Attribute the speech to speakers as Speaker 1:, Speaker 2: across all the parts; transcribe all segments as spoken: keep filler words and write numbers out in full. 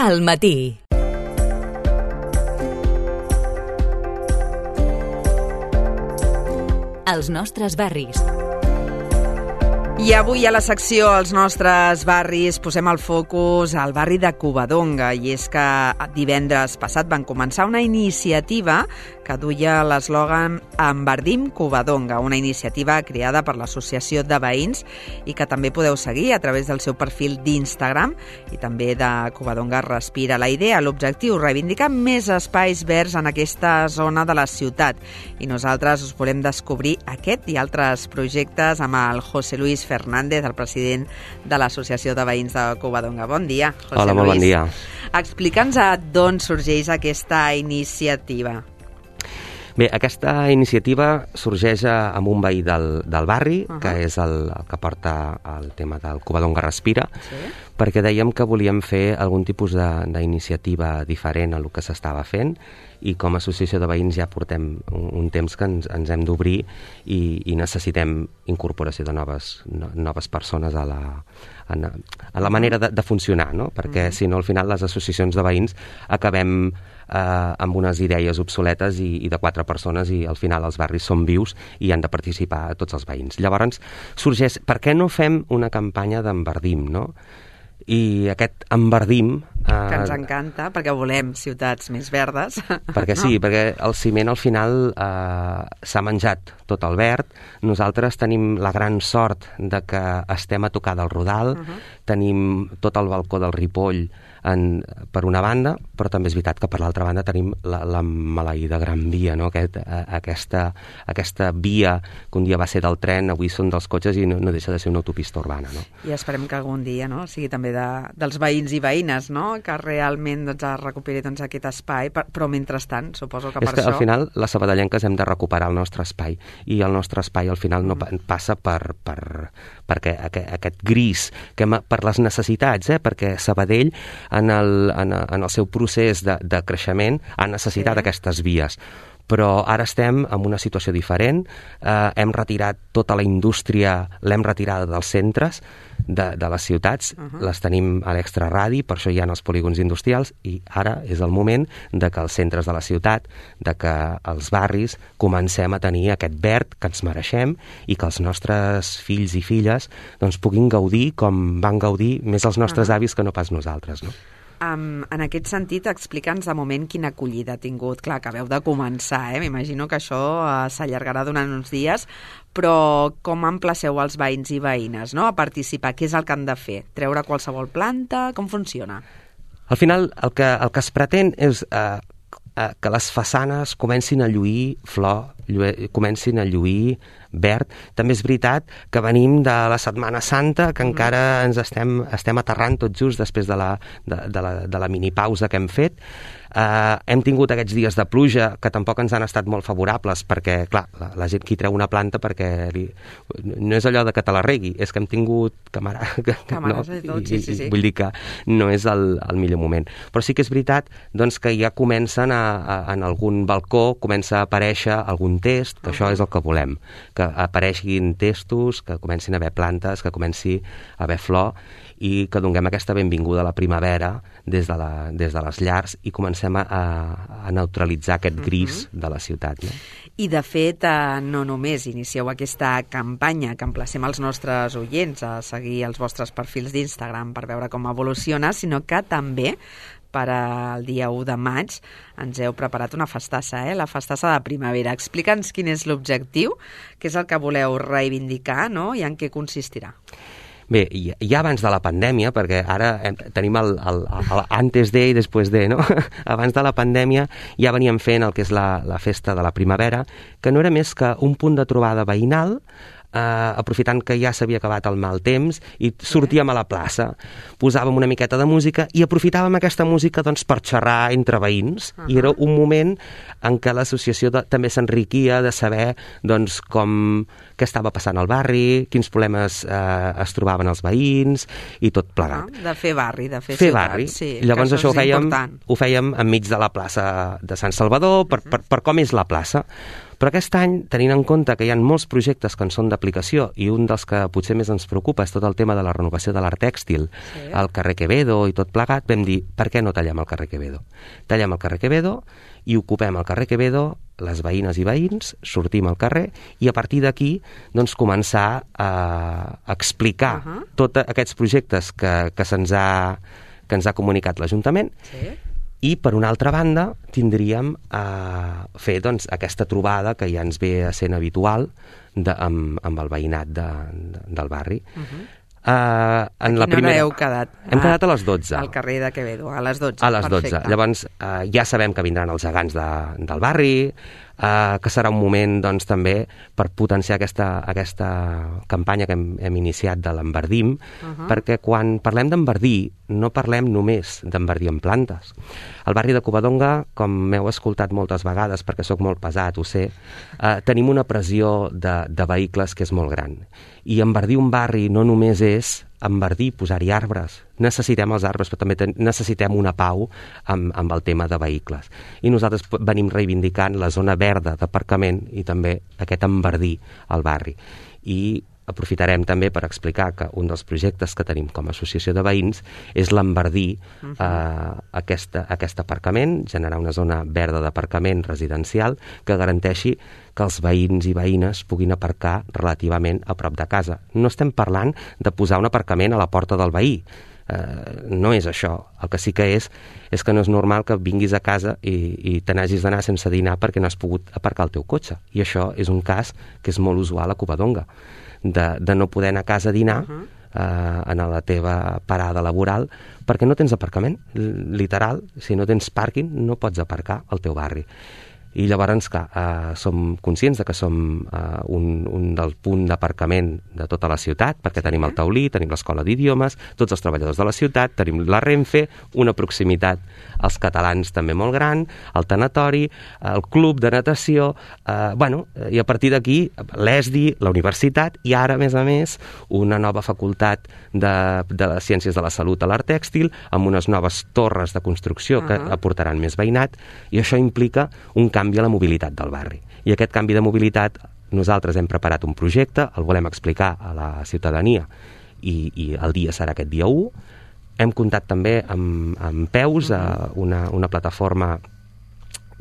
Speaker 1: Al matí. Els nostres barris.
Speaker 2: I avui a la secció Els nostres barris posem el focus al barri de Covadonga, i és que divendres passat van començar una iniciativa que duia l'eslògan Emverdim Covadonga, una iniciativa creada per l'Associació de Veïns i que també podeu seguir a través del seu perfil d'Instagram i també de Covadonga Respira. La idea, l'objectiu, reivindicar més espais verds en aquesta zona de la ciutat, i nosaltres us volem descobrir aquest i altres projectes amb el José Luis Fernández, el president de l'Associació de Veïns de Covadonga. Bon dia, José
Speaker 3: Hola,
Speaker 2: Luis.
Speaker 3: molt bon dia.
Speaker 2: Explica'ns d'on sorgeix aquesta iniciativa.
Speaker 3: Bé, aquesta iniciativa sorgeix amb un veí del, del barri, uh-huh. que és el, el que porta el tema del Covadonga Respira, sí. perquè dèiem que volíem fer algun tipus d'iniciativa diferent a el que s'estava fent, i com a associació de veïns ja portem un, un temps que ens, ens hem d'obrir i, i necessitem incorporació de noves, no, noves persones a la, a, a la manera de, de funcionar, no? Perquè uh-huh. si no, al final les associacions de veïns acabem eh, amb unes idees obsoletes i, i de quatre persones, i al final els barris són vius i han de participar tots els veïns. Llavors sorgeix, per què no fem una campanya d'Emverdim, no? I aquest Emverdim... Eh,
Speaker 2: que ens encanta, perquè volem ciutats més verdes.
Speaker 3: Perquè no? Sí, perquè el ciment al final eh, s'ha menjat tot el verd. Nosaltres tenim la gran sort de que estem a tocar del Rodal, uh-huh. tenim tot el balcó del Ripoll en, per una banda, però també és veritat que per l'altra banda tenim la, la maleïda Gran Via, no? Aquest, a, aquesta, aquesta via que un dia va ser del tren, avui són dels cotxes i no, no deixa de ser una autopista urbana, no?
Speaker 2: I esperem que algun dia, no?, sigui també de, dels veïns i veïnes, no?, que realment doncs, es recuperi doncs, aquest espai, per, però mentrestant, suposo que
Speaker 3: és
Speaker 2: per
Speaker 3: que,
Speaker 2: això...
Speaker 3: al final, les sabadellenques hem de recuperar el nostre espai, i el nostre espai al final no mm. passa per, per, per aquest, aquest gris, que per les necessitats, eh? Perquè Sabadell, en el, en, en el seu procés de, de creixement, ha necessitat sí. aquestes vies. Però ara estem en una situació diferent, eh, hem retirat tota la indústria, l'hem retirada dels centres de, de les ciutats, uh-huh. les tenim a l'extraradi, per això hi ha els polígons industrials, i ara és el moment de que els centres de la ciutat, de que els barris comencem a tenir aquest verd que ens mereixem i que els nostres fills i filles doncs, puguin gaudir com van gaudir més els nostres uh-huh. avis que no pas nosaltres, no?
Speaker 2: Um, en aquest sentit, explica'ns de moment quina acollida ha tingut. Clar, acabeu de començar, eh? M'imagino que això uh, s'allargarà durant uns dies, però com emplaceu els veïns i veïnes, no?, a participar? Què és el que han de fer? Treure qualsevol planta? Com funciona?
Speaker 3: Al final, el que, el que es pretén és eh, eh, que les façanes comencin a lluir flor, lluir, comencin a lluir verd. També és veritat que venim de la Setmana Santa, que mm. encara ens estem, estem aterrant tot just després de la, de, de la, de la minipausa que hem fet. Uh, hem tingut aquests dies de pluja que tampoc ens han estat molt favorables, perquè, clar, la, la gent qui treu una planta perquè li, no és allò de que te la regui, és que hem tingut camara, que,
Speaker 2: Camares
Speaker 3: no?
Speaker 2: i tot, sí, sí, sí.
Speaker 3: Vull dir que no és el, el millor moment. Però sí que és veritat doncs, que ja comencen a, a, en algun balcó comença a aparèixer algun test, que uh-huh. això és el que volem, que apareixin testos, que comencin a haver plantes, que comenci a haver flor, i que donem aquesta benvinguda a la primavera des de, la, des de les llars i comencem a, a neutralitzar aquest gris uh-huh. de la ciutat. No?
Speaker 2: I, de fet, eh, no només inicieu aquesta campanya, que emplacem els nostres oients a seguir els vostres perfils d'Instagram per veure com evoluciona, sinó que també per al dia u de maig ens heu preparat una festassa, eh? La festassa de primavera. Explica'ns quin és l'objectiu, què és el que voleu reivindicar, no?, i en què consistirà.
Speaker 3: Bé, ja abans de la pandèmia, perquè ara hem, tenim el, el, el antes de i després de, no? Abans de la pandèmia ja veníem fent el que és la, la festa de la primavera, que no era més que un punt de trobada veïnal, eh, aprofitant que ja s'havia acabat el mal temps, i sortíem a la plaça, posàvem una miqueta de música i aprofitàvem aquesta música doncs, per xerrar entre veïns, uh-huh. i era un moment en què l'associació de, també s'enriquia de saber doncs, com, què estava passant al barri, quins problemes eh, es trobaven els veïns i tot plegat.
Speaker 2: Uh-huh. De fer barri, de fer,
Speaker 3: fer
Speaker 2: ciutat.
Speaker 3: Barri.
Speaker 2: Sí,
Speaker 3: llavors això,
Speaker 2: això
Speaker 3: ho fèiem,
Speaker 2: important.
Speaker 3: ho fèiem enmig de la plaça de Sant Salvador, per, uh-huh. per, per com és la plaça. Però aquest any, tenint en compte que hi ha molts projectes que en són d'aplicació i un dels que potser més ens preocupa és tot el tema de la renovació de l'art tèxtil, sí. al carrer Quevedo i tot plegat, vam dir, per què no tallem el carrer Quevedo? Tallem el carrer Quevedo i ocupem el carrer Quevedo, les veïnes i veïns, sortim al carrer i a partir d'aquí doncs, començar a explicar uh -huh. tots aquests projectes que, que se'ns ha, que ens ha comunicat l'Ajuntament. Sí. I, per una altra banda, tindríem a fer doncs, aquesta trobada que ja ens ve sent habitual de, amb, amb el veïnat de, de, del barri. Uh-huh. Uh, en
Speaker 2: a quina
Speaker 3: la primera...
Speaker 2: hora heu quedat?
Speaker 3: Hem quedat a les dotze.
Speaker 2: Al carrer de Quevedo, a les dotze.
Speaker 3: A les dotze.
Speaker 2: Perfecte.
Speaker 3: Llavors, uh, ja sabem que vindran els gegants de, del barri, uh, que serà un moment doncs, també per potenciar aquesta, aquesta campanya que hem, hem iniciat de l'enverdim, uh-huh. perquè quan parlem d'enverdir no parlem només d'enverdir en plantes. Al barri de Covadonga, com m'heu escoltat moltes vegades, perquè sóc molt pesat, ho sé, uh, tenim una pressió de, de vehicles que és molt gran. I enverdir un barri no només és enverdir, posar-hi arbres. Necessitem els arbres, però també ten- necessitem una pau amb, amb el tema de vehicles. I nosaltres venim reivindicant la zona verda d'aparcament i també aquest enverdir al barri. I aprofitarem també per explicar que un dels projectes que tenim com a associació de veïns és l'enverdir uh-huh. eh, aquest, aquest aparcament, generar una zona verda d'aparcament residencial que garanteixi que els veïns i veïnes puguin aparcar relativament a prop de casa. No estem parlant de posar un aparcament a la porta del veí. Uh, no és això. El que sí que és és que no és normal que vinguis a casa i, i te n'hagis d'anar sense dinar perquè no has pogut aparcar el teu cotxe. I això és un cas que és molt usual a Covadonga. De, de no poder anar a casa a dinar uh-huh. eh, en la teva parada laboral perquè no tens aparcament, literal. Si no tens pàrquing no pots aparcar al teu barri. I llavors, clar, eh, som conscients de que som eh, un, un del punt d'aparcament de tota la ciutat, perquè tenim el taulí, tenim l'escola d'idiomes, tots els treballadors de la ciutat, tenim la Renfe, una proximitat als catalans també molt gran, el tanatori, el club de natació, eh, bueno, i a partir d'aquí l'E S D I, la universitat, i ara, a més a més, una nova facultat de, de les ciències de la salut a l'art tèxtil, amb unes noves torres de construcció uh-huh. que aportaran més veïnat, i això implica un canvi a la mobilitat del barri. I aquest canvi de mobilitat, nosaltres hem preparat un projecte, el volem explicar a la ciutadania i, i el dia serà aquest dia u. Hem comptat també amb, amb Peus, uh-huh. una, una plataforma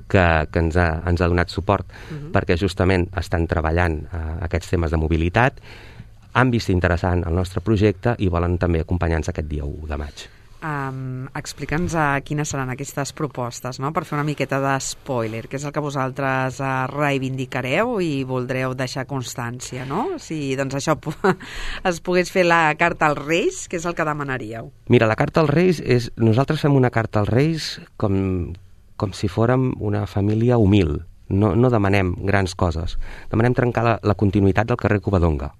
Speaker 3: que, que ens, ha, ens ha donat suport uh-huh. perquè justament estan treballant uh, aquests temes de mobilitat, han vist interessant el nostre projecte i volen també acompanyar-nos aquest dia u de maig.
Speaker 2: Um, Explica'ns uh, quines seran aquestes propostes, no? Per fer una miqueta de spoiler, que és el que vosaltres uh, reivindicareu i voldreu deixar constància, no? Si doncs això es pogués fer la carta als Reis, que és el que demanaríeu.
Speaker 3: Mira, la carta als Reis és... Nosaltres fem una carta als Reis com, com si fórem una família humil. No, no demanem grans coses. Demanem trencar la, la continuïtat del carrer Covadonga,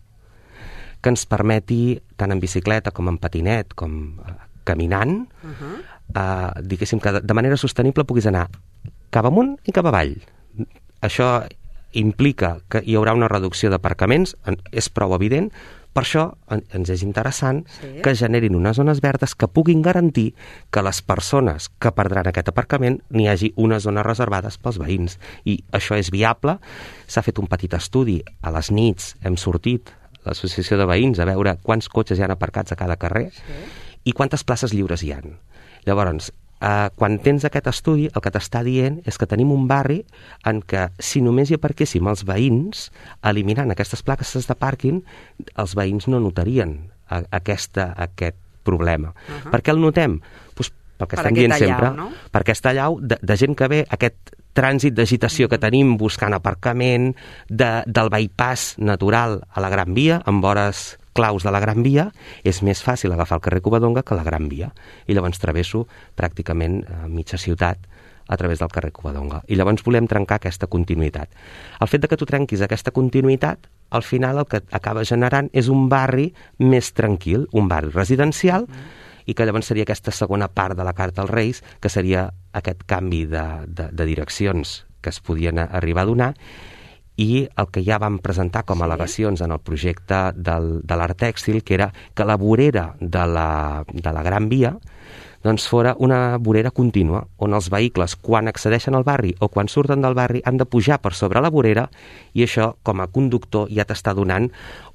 Speaker 3: que ens permeti, tant en bicicleta com en patinet, com caminant, uh-huh. eh, diguéssim que de manera sostenible puguis anar cap amunt i cap avall. Això implica que hi haurà una reducció d'aparcaments, és prou evident, per això ens és interessant sí. que generin unes zones verdes que puguin garantir que les persones que perdran aquest aparcament n'hi hagi unes zones reservades pels veïns. I això és viable. S'ha fet un petit estudi. A les nits hem sortit, l'associació de veïns, a veure quants cotxes hi ha aparcats a cada carrer sí. i quantes places lliures hi ha. Llavors, eh, quan tens aquest estudi, el que t'està dient és que tenim un barri en què, si només hi aparquéssim els veïns, eliminant aquestes places de pàrquing, els veïns no notarien a, aquesta, aquest problema. Uh-huh. Per què el notem? Pues, pel que per estem dient allau, sempre, no? Per aquesta allau de, de gent que ve, aquest trànsit d'agitació que tenim buscant aparcament, de, del bypass natural a la Gran Via, amb vores claus de la Gran Via, és més fàcil agafar el carrer Covadonga que la Gran Via. I llavors travesso pràcticament eh, mitja ciutat a través del carrer Covadonga. I llavors volem trencar aquesta continuïtat. El fet de que tu trenquis aquesta continuïtat, al final el que acaba generant és un barri més tranquil, un barri residencial, mm. i que llavors seria aquesta segona part de la Carta als Reis, que seria aquest canvi de, de, de direccions que es podien arribar a donar, i el que ja vam presentar com a al·legacions en el projecte del, de l'art tèxtil, que era que la vorera de la, de la Gran Via doncs fora una vorera contínua, on els vehicles, quan accedeixen al barri o quan surten del barri, han de pujar per sobre la vorera, i això, com a conductor, ja t'està donant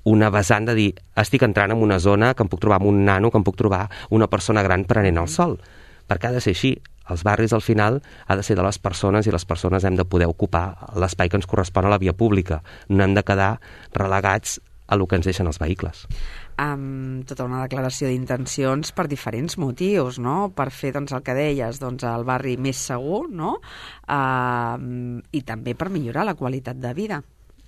Speaker 3: una vessant de dir, estic entrant en una zona que em puc trobar amb un nano, que em puc trobar una persona gran prenent el sol. Perquè ha de ser així. Els barris, al final, ha de ser de les persones, i les persones hem de poder ocupar l'espai que ens correspon a la via pública. No hem de quedar relegats a el que ens deixen els vehicles.
Speaker 2: Amb tota una declaració d'intencions per diferents motius, no? Per fer, doncs, el que deies, doncs, el barri més segur, no? Uh, I també per millorar la qualitat de vida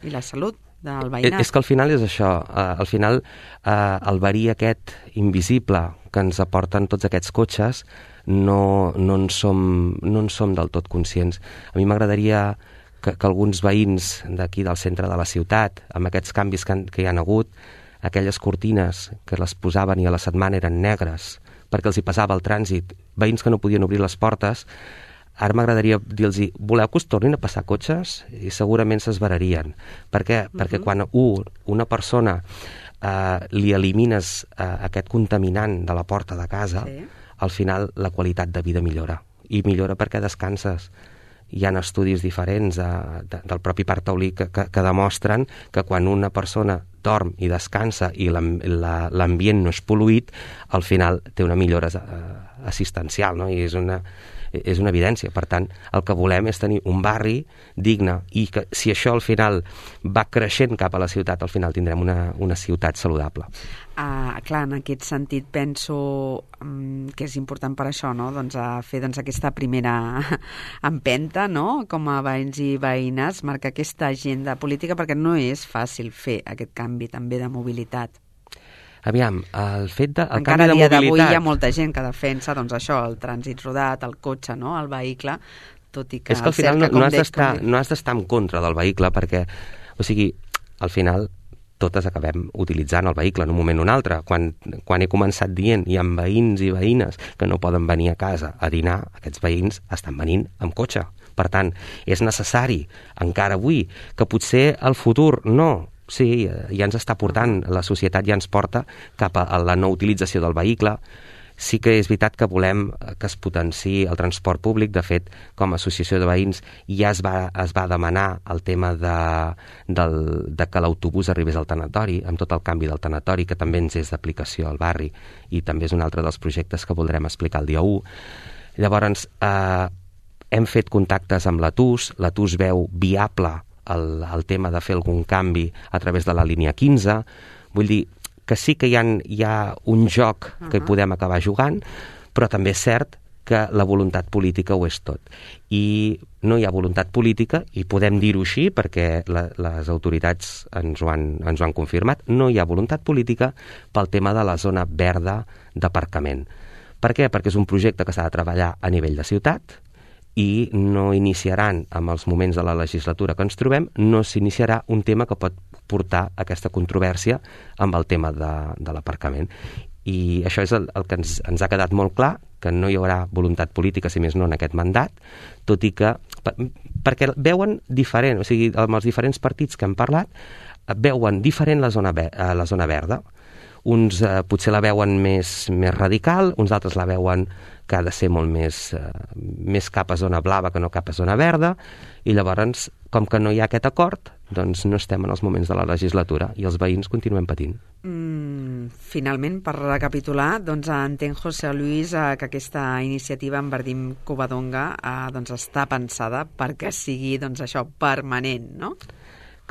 Speaker 2: i la salut del veïnat.
Speaker 3: És que al final és això. Uh, al final, uh, el verí aquest invisible que ens aporten tots aquests cotxes no, no, en som, no en som del tot conscients. A mi m'agradaria que, que alguns veïns d'aquí del centre de la ciutat, amb aquests canvis que, han, que hi han hagut, aquelles cortines que les posaven i a la setmana eren negres perquè els hi passava el trànsit, veïns que no podien obrir les portes, ara m'agradaria dir-los, voleu que us tornin a passar cotxes? I segurament s'esverarien. Per què? Uh-huh. Perquè quan u, una persona eh, li elimines eh, aquest contaminant de la porta de casa, sí, al final la qualitat de vida millora. I millora perquè descanses. Hi ha estudis diferents de, de, del propi Parc Taulí que, que, que demostren que quan una persona dorm i descansa i l'ambient no és pol·luït, al final té una millora eh, assistencial, no? I és una, és una evidència. Per tant, el que volem és tenir un barri digne, i que si això al final va creixent cap a la ciutat, al final tindrem una, una ciutat saludable.
Speaker 2: Ah, clar, en aquest sentit penso um, que és important per això, no? Doncs a fer doncs, aquesta primera empenta, no? Com a veïns i veïnes, marcar aquesta agenda política, perquè no és fàcil fer aquest canvi també de mobilitat.
Speaker 3: Aviam, el fet de... El
Speaker 2: Encara a
Speaker 3: canvi
Speaker 2: dia
Speaker 3: de mobilitat...
Speaker 2: d'avui hi ha molta gent que defensa doncs, això, el trànsit rodat, el cotxe, no? El vehicle, tot i que...
Speaker 3: És que al final no, no, has d'estar, no has d'estar en contra del vehicle, perquè, o sigui, al final totes acabem utilitzant el vehicle en un moment o un altre. Quan, quan he començat dient hi ha veïns i veïnes que no poden venir a casa a dinar, aquests veïns estan venint amb cotxe. Per tant, és necessari, encara avui, que potser el futur no, sí, ja ens està portant, la societat ja ens porta cap a la no utilització del vehicle. Sí que és veritat que volem que es potenciï el transport públic. De fet, com a associació de veïns ja es va, es va demanar el tema de, del, de que l'autobús arribés al tanatori, amb tot el canvi del tanatori, que també ens és d'aplicació al barri, i també és un altre dels projectes que voldrem explicar el dia u. Llavors, eh, hem fet contactes amb l'A T U S, l'A T U S veu viable el, el tema de fer algun canvi a través de la línia quinze. Vull dir que sí que hi ha, hi ha un joc que hi podem acabar jugant, però també és cert que la voluntat política ho és tot. I no hi ha voluntat política, i podem dir-ho així perquè la, les autoritats ens ho, han, ens ho han confirmat, no hi ha voluntat política pel tema de la zona verda d'aparcament. Per què? Perquè és un projecte que s'ha de treballar a nivell de ciutat, i no iniciaran, amb els moments de la legislatura que ens trobem, no s'iniciarà un tema que pot portar aquesta controvèrsia amb el tema de, de l'aparcament. I això és el, el que ens, ens ha quedat molt clar, que no hi haurà voluntat política, si més no, en aquest mandat, tot i que, per, perquè veuen diferent, o sigui, amb els diferents partits que hem parlat, veuen diferent la zona, la zona verda. Uns eh, potser la veuen més, més radical, uns altres la veuen que ha de ser molt més, eh, més cap a zona blava que no cap a zona verda, i llavors, com que no hi ha aquest acord, doncs no estem en els moments de la legislatura i els veïns continuem patint.
Speaker 2: Mm, finalment, per recapitular, doncs entenc, José Luis, eh, que aquesta iniciativa en Verdim Covadonga eh, doncs està pensada perquè sigui doncs, això permanent, no?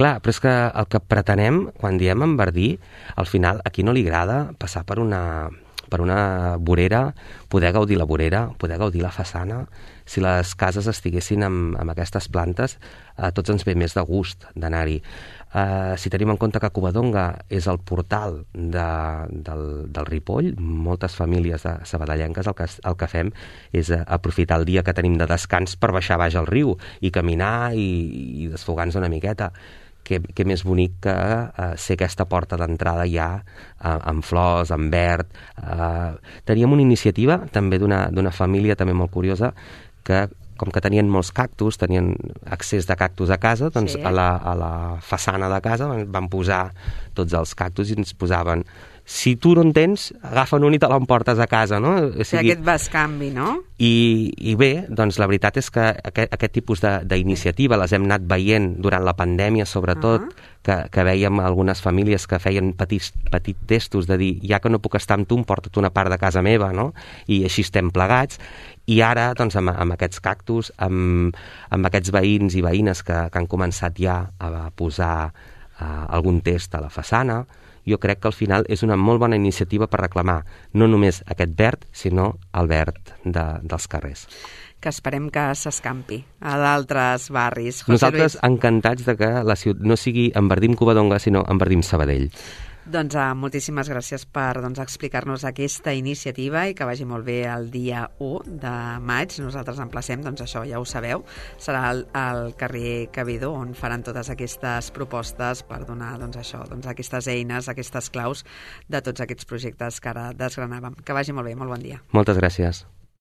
Speaker 3: Clar, però és que el que pretenem, quan diem en Verdí, al final a qui no li agrada passar per una, per una vorera, poder gaudir la vorera, poder gaudir la façana. Si les cases estiguessin amb, amb aquestes plantes, a tots ens ve més de gust d'anar-hi. Uh, si tenim en compte que Covadonga és el portal de, del, del Ripoll, moltes famílies de sabadellenques el que, el que fem és aprofitar el dia que tenim de descans per baixar baix al riu i caminar i, i desfogar-nos una miqueta. Que, que més bonic que uh, ser aquesta porta d'entrada ja uh, amb flors, amb verd. Uh, teníem una iniciativa també d'una d'una família també molt curiosa que, com que tenien molts cactus, tenien accés de cactus a casa, doncs sí. a, la, a la façana de casa van, van posar tots els cactus i ens posaven si tu no en tens, agafa'n un i te l'emportes a casa, no?
Speaker 2: O sigui, aquest bescanvi, no?
Speaker 3: I, i bé, doncs la veritat és que aquest, aquest tipus d'iniciativa les hem anat veient durant la pandèmia, sobretot, uh -huh. que, que veiem algunes famílies que feien petits, petits testos de dir, ja que no puc estar amb tu, em porta't una part de casa meva, no? I així estem plegats. I ara, doncs, amb, amb aquests cactus, amb, amb aquests veïns i veïnes que, que han començat ja a posar uh, algun test a la façana, jo crec que al final és una molt bona iniciativa per reclamar no només aquest verd, sinó el verd de, dels carrers.
Speaker 2: Que esperem que s'escampi a d'altres barris.
Speaker 3: José Nosaltres Luis, encantats de que la ciutat no sigui Enverdim Covadonga, sinó Enverdim Sabadell.
Speaker 2: Doncs uh, moltíssimes gràcies per doncs, explicar-nos aquesta iniciativa i que vagi molt bé el dia u de maig. Nosaltres emplacem, doncs això ja ho sabeu, serà al, al carrer Cabedó on faran totes aquestes propostes per donar doncs, això, doncs, aquestes eines, aquestes claus de tots aquests projectes que ara desgranàvem. Que vagi molt bé, molt bon dia.
Speaker 3: Moltes gràcies.